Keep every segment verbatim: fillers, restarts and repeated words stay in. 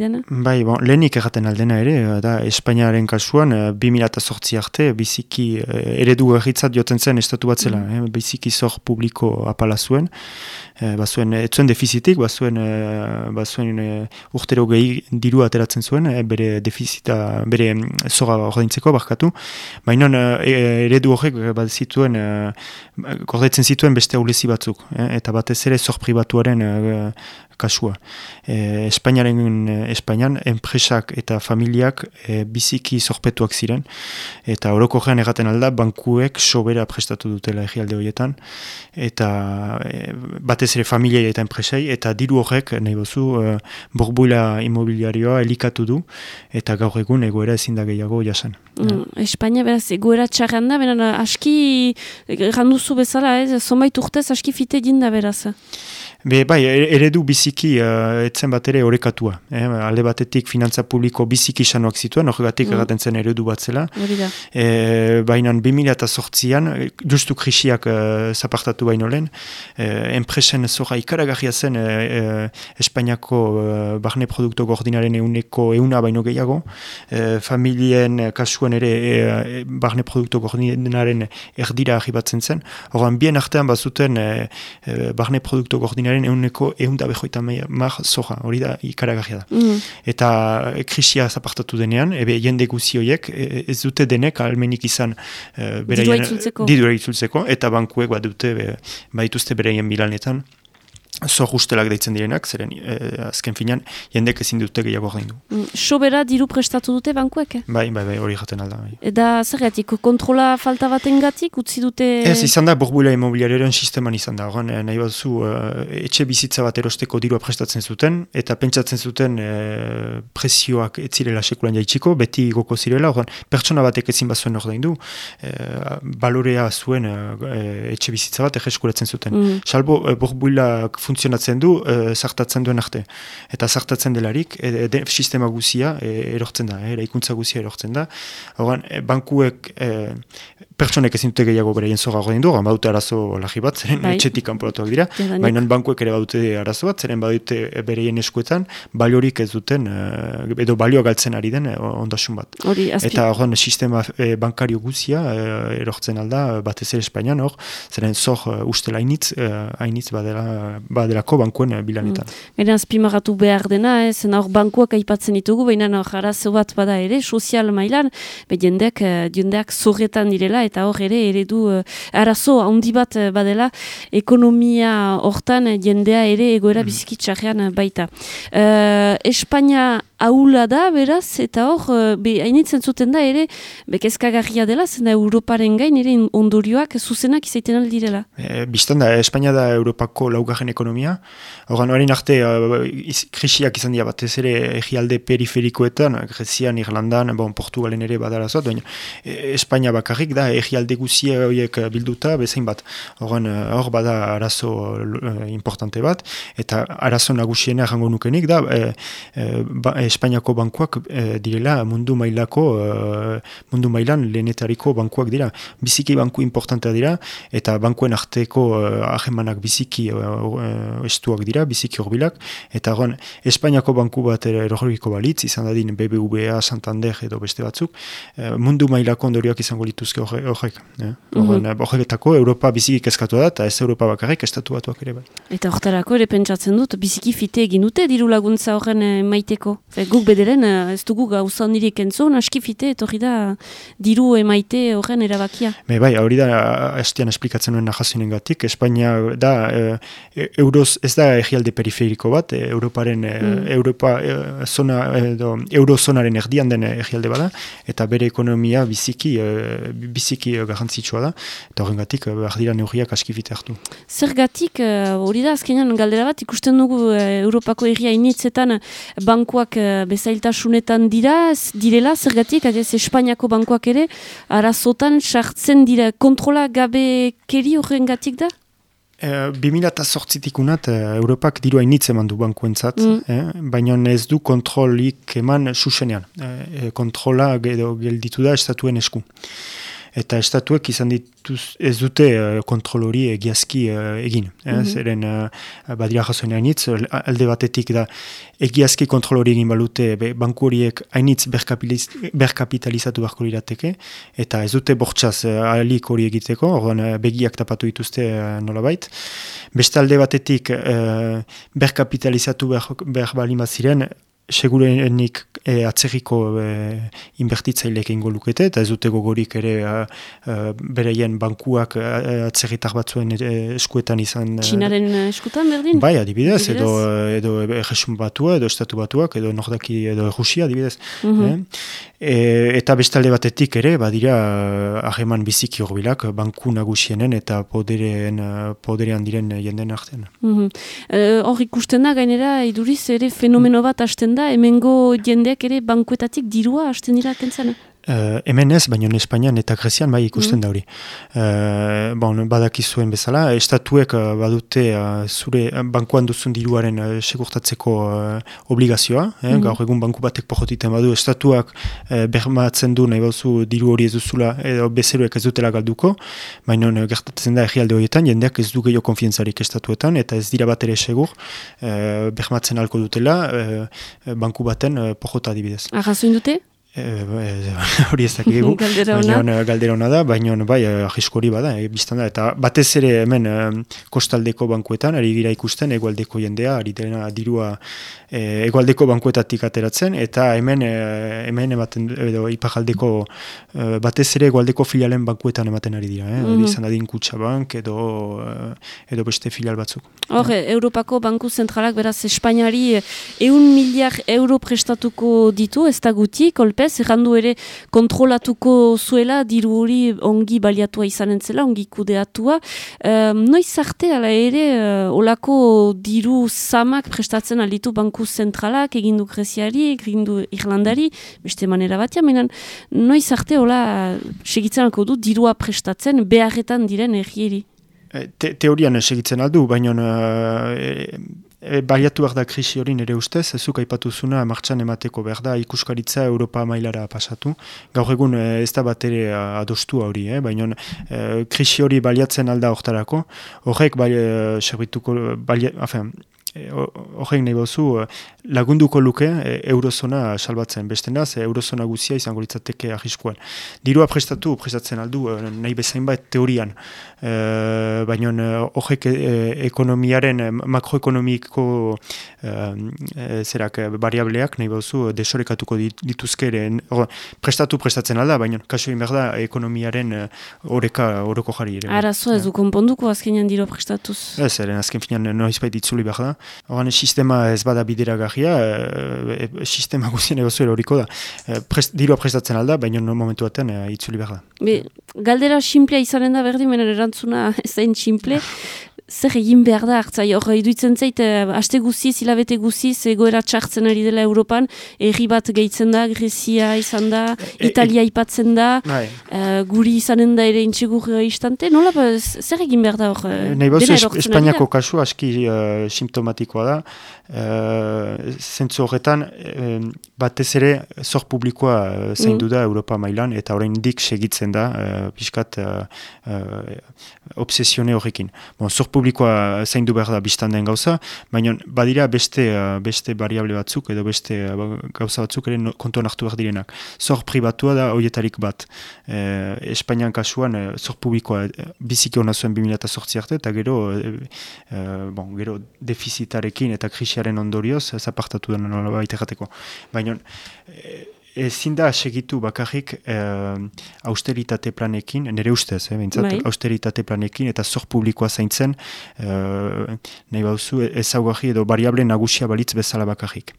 dena? Bai, bon, lehenik erraten aldena ere, da Espainiaren kasuan, bi mila zortzi arte, biziki eredu erritzat joten zen estatu bat zela, mm. eh, biziki zor publiko apala zuen, eh, bazuen, ez zuen defizitik, bazuen, eh, bazuen eh, urtero gehi diru ateratzen zuen, eh, bere defizita, bere zora ordaintzeko barkatu, baina eh, eredu horrek bat zituen, eh, gordetzen zituen beste aulezi batzuk, eh, eta batez ere zor pribatuaren eh, kasua. E, Espainiaren, Espainian, enpresak eta familiak e, biziki zorpetuak ziren, eta orokorrean erraten alda, bankuek sobera prestatu dutela egialde horietan, eta e, batez ere familiei eta enpresei, eta diru horrek, nahi bozu, e, borbuila imobiliarioa elikatu du, eta gaur egun egoera ezin da gehiago jasan. Mm, Espainia beraz egoera txarran da, beran aski randuzu bezala, ez, zonbait urtez aski fite dinda beraz. Be, bai, eredu biziki uh, etzen bat ere orekatua. Eh? Alde batetik finantza publiko biziki sanoak zituen, horregatik mm. erraten zen eredu bat zela. E, baina bi mila zortzian, justu krisiak uh, zapartatu baino lehen, uh, enpresen zora ikaragarria zen uh, uh, Espainiako uh, barne produkto gordinaren euneko euna baino gehiago, uh, familien kasuan ere uh, barne produkto gordinaren erdira arribatzen zen. Horren, bien artean bazuten uh, uh, barne produkto gordinaren euneko eunda behoita mar zoja, hori da ikaragarria da. Mm. Eta krisia zapartatu denean, ebe jende guzi horiek ez dute denek almenik izan uh, didura itzultzeko, eta bankuek bat dute be, badituzte bereien bilanetan zor ustelak deitzen direnak, zeren eh, azken finan jendek ezin dute gehiago gaindu. Mm, sobera diru prestatu dute bankuek? Bai, bai, bai, hori jaten alda. Bai. Eta zergatik, kontrola falta batengatik utzi dute? Ez, izan da, borbuila imobiliarioaren sisteman izan da. Horan, nahi batzu, uh, etxe bizitza bat erosteko dirua prestatzen zuten, eta pentsatzen zuten uh, presioak ez zirela sekulan jaitsiko, beti goko zirela, horan, pertsona batek ezin bazuen ordaindu, uh, balorea zuen uh, etxe bizitza bat egeskuratzen zuten. Mm. Salbo, uh, borbuilak funtzionatzen du, e, zartatzen duen arte. Eta zartatzen delarik, e, de, sistema guzia e, erortzen da, e, eraikuntza guzia erortzen da. Horren, e, bankuek, e, pertsonek ezin dute gehiago bereien zora horrein du, baute arazo lagi bat, zeren bai. Etxetik kanporatuak dira, baina bankuek ere badute arazo bat, zeren badute bereien eskuetan, baliorik ez duten, e, edo balioa galtzen ari den e, ondasun bat. Hori, eta horren, sistema e, bankario guzia e, erortzen alda, batez ere Espainian hor, zeren zor uh, ustela hainitz, uh, hainitz badela, badelako bankuen bilanetan. Gaina mm. azpimarratu behar dena, ez, hor bankuak aipatzen ditugu, baina hor arazo bat bada ere, sozial mailan, be jendeak, jendeak zorretan direla, eta hor ere eredu uh, arazo handi bat badela, ekonomia hortan jendea ere egoera mm. bizikitxarrean baita. Uh, Espainia haula da, beraz, eta hor, be, hainitzen zuten da ere, bekezkagarria dela, zena Europaren gain, ere ondorioak zuzenak izaiten aldirela. E, Bistan da, Espainia da Europako laugarren ekonomia. Horren, hori arte, uh, iz, krisiak izan dira batez ere egialde periferikoetan, Grezian, Irlandan, bon, Portugalen ere badarazoat, baina e, Espainia bakarrik da, egialde guzia horiek bilduta, bezain bat. Horren, hor bada arazo uh, importante bat, eta arazo nagusiena jango nukenik da, e, e, ba, Espainiako bankuak e, direla mundu mailako, e, mundu mailan lehenetariko bankuak dira. Biziki banku importantea dira, eta bankuen arteko ahemanak biziki uh, estuak dira, biziki horbilak, eta gon, Espainiako banku bat eroriko balitz, izan dadin B B V A, Santander edo beste batzuk, uh, mundu mailako ondorioak izango lituzke horrek. Eh? Mm-hmm. Horretako Europa biziki kezkatu da, eta ez Europa bakarrik, estatu batuak ere bai. Eta horretarako ere pentsatzen dut, biziki fite egin dute diru laguntza horren maiteko. Fe, guk bederen, ez dugu gauza ondirik entzun, aski fite, etorri da diru emaite horren erabakia. Me bai, hori da, hastian esplikatzen nuen nahazioen gatik, Espainia da, e, euroz, ez da egialde periferiko bat, e, Europaren, mm. Europa, e, zona, edo, eurozonaren erdian den egialde bada, eta bere ekonomia biziki, e, biziki garrantzitsua da, eta horren gatik, behar dira neurriak aski fite hartu. Zergatik, hori da, azkenean galdera bat, ikusten dugu Europako herria initzetan bankuak bezailtasunetan dira, direla, zergatik, adez Espainiako bankuak ere, arazotan sartzen dira, kontrola gabe keri horren gatik da? bi mila zortzitik unat, Europak dirua initz eman du bankuentzat, mm. eh? Baina ez du kontrolik eman susenean. Eh, kontrola edo gelditu da estatuen esku. eta estatuek izan dituz ez dute uh, kontrol hori egiazki uh, egin. Eh? Mm-hmm. Zeren uh, badira jasoen hainitz, alde batetik da egiazki kontrol hori egin balute be, banku horiek hainitz berkapitalizatu beharko lirateke, eta ez dute bortxaz uh, ahalik hori egiteko, orduan uh, begiak tapatu dituzte uh, nolabait. Beste alde batetik uh, berkapitalizatu behar, behar balima ziren, segurenik e, atzerriko e, inbertitzaileek ingo lukete, eta ez dute gogorik ere a, a, bereien bankuak atzerritar batzuen e, eskuetan izan. Txinaren eskutan berdin? Bai, adibidez, edo, edo Erresum batua, edo Estatu batuak, edo Nordaki, edo Rusia, adibidez. Mm-hmm. e, eta bestalde batetik ere, badira hageman biziki horbilak, banku nagusienen eta poderen, poderean diren jenden artean. Hor mm-hmm. e, ikusten da, gainera, iduriz ere fenomeno bat hasten da, hemengo jendeak ere bankuetatik dirua hasten dira kentzen? Uh, hemen ez, baina Espainian eta Grezian bai ikusten mm. da hori. Uh, bon, badakizuen bezala, estatuek uh, badute uh, zure bankuan duzun diruaren uh, segurtatzeko uh, obligazioa, eh? mm. gaur egun banku batek pojotiten badu, estatuak uh, bermatzen du nahi bauzu diru hori ez duzula, edo bezeroek ez dutela galduko, baina uh, gertatzen da herrialde horietan, jendeak ez du gehiago konfientzarik estatuetan, eta ez dira bat ere segur, uh, bermatzen halko dutela, uh, banku baten uh, pojota adibidez. Arrazoin dute? Hori ez dakigu, baina galdera hona da, baina bai, ahisko hori bada, e, biztan da, eta batez ere hemen e, kostaldeko bankuetan, ari gira ikusten, egualdeko jendea, ari dena dirua e, egualdeko bankuetatik ateratzen, eta hemen, e, hemen ematen, edo ipajaldeko, e, batez ere egualdeko filialen bankuetan ematen ari dira, eh? Mm-hmm. Izan adin Kutxabank, edo, edo beste filial batzuk. Hor, Europako Banku Zentralak, beraz, Espainiari eun miliar euro prestatuko ditu, ez da guti, kolpe, errandu ere kontrolatuko zuela, diru hori ongi baliatua izanen zela, ongi kudeatua. Um, noiz arte, ala ere, uh, olako diru zamak prestatzen alitu Banku Zentralak, egindu Greziari, egindu Irlandari, beste manera batia, menan, noiz arte, hola, segitzen alko du, dirua prestatzen beharretan diren errieri. Te, teorian segitzen aldu, baina e, e, baliatu behar da krisi hori nire ustez, ezuk aipatuzuna martxan emateko behar da ikuskaritza Europa mailara pasatu. Gaur egun ez da bat ere adostua hori, eh? Baina e, krisi hori baliatzen alda hortarako, horrek bali, serbituko, bali, afen, horrein nahi bauzu, lagunduko luke eurozona salbatzen. Bestenaz, eurozona guzia izango litzateke arriskuan. Dirua prestatu, prestatzen aldu, nahi bezain bat teorian. E, baina horrek ekonomiaren, makroekonomiko e, zerak variableak nahi bauzu desorekatuko dituzke ere. Prestatu, prestatzen alda, baina kaso behar da ekonomiaren oreka, oroko jari ere. Arazo ez du konponduko azkenean dirua prestatuz? Ez, eren azken finean noizbait itzuli behar da. Horan, sistema ez bada bideragarria, e, e, sistema guzien egozuela horiko da. E, prest, dirua prestatzen alda, baina no momentu batean e, itzuli behar da. Be, galdera simplea izanen da berdin, menen erantzuna ez zain simple. Zer egin behar da hartzai, hor iduitzen zait, haste guziz, hilabete guziz, egoera txartzen ari dela Europan, erri bat gehitzen da, Grezia izan da, Italia ipatzen da, e, uh, guri izanen da ere intsegur istante, nola, zer egin behar da hor? Nahi bauzu, Espainiako kasu aski uh, simptomatikoa da, uh, zentzu horretan, uh, batez ere, zor publikoa uh, zaindu da Europa mailan, eta orain dik segitzen da, uh, pixkat uh, uh, obsesione horrekin. Bon, zor publikoa zaindu behar da biztan den gauza, baina badira beste uh, beste variable batzuk edo beste uh, gauza batzuk ere no, kontuan hartu behar direnak. Zor pribatua da horietarik bat. E, Espainian kasuan uh, zor publikoa uh, biziki hona zuen bi mila zortzi arte, eta gero, uh, uh, bon, gero defizitarekin eta krisiaren ondorioz zapartatu den nola baita jateko. Baina uh, ezin da segitu bakarrik eh, austeritate planekin, nire ustez, eh, bintzat, bai. Austeritate planekin eta zor publikoa zaintzen eh, nahi bauzu ezaugarri edo variable nagusia balitz bezala bakarrik.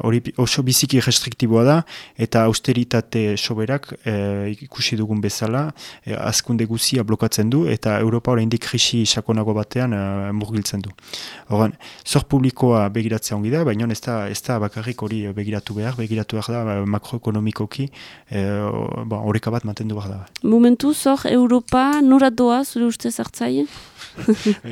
Hori eh, oso biziki restriktiboa da eta austeritate soberak eh, ikusi dugun bezala eh, azkunde guzia blokatzen du eta Europa oraindik krisi sakonago batean eh, murgiltzen du. Horan, zor publikoa begiratzea ongi da, baina ez da, ez da bakarrik hori begiratu behar, begiratu behar da makroekonomikoki horreka bat mantendu behar da. Momentu, zor, Europa nora doa, zure ustez hartzaile?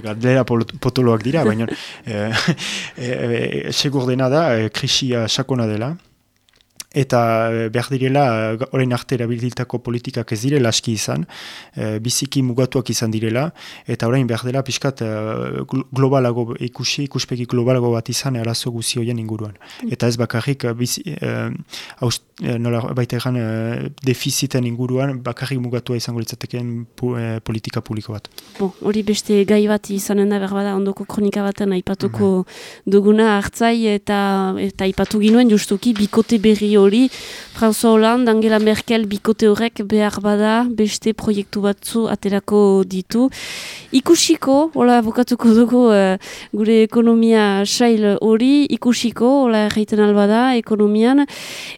Galdera potoloak dira, baina e, e, e, segur dena da, e, krisia sakona dela, eta behar direla, orain arte erabilitako politikak ez direla aski izan, e, biziki mugatuak izan direla, eta orain behar dela pixkat e, globalago ikusi, ikuspegi globalago bat izan arazo guzi horien inguruan. Eta ez bakarrik bizi, e, aust, e, nola baita egan e, defiziten inguruan bakarrik mugatua izango litzateken pu, e, politika publiko bat. Bo, hori beste gai bat izanen da berbada ondoko kronika baten aipatuko mm-hmm. duguna hartzai eta eta aipatu ginuen justuki bikote berri hori François Hollande, Angela Merkel bikote horrek behar bada beste proiektu batzu aterako ditu. Ikusiko, hola bukatuko dugu uh, gure ekonomia sail hori, ikusiko, hola erraiten albada ekonomian,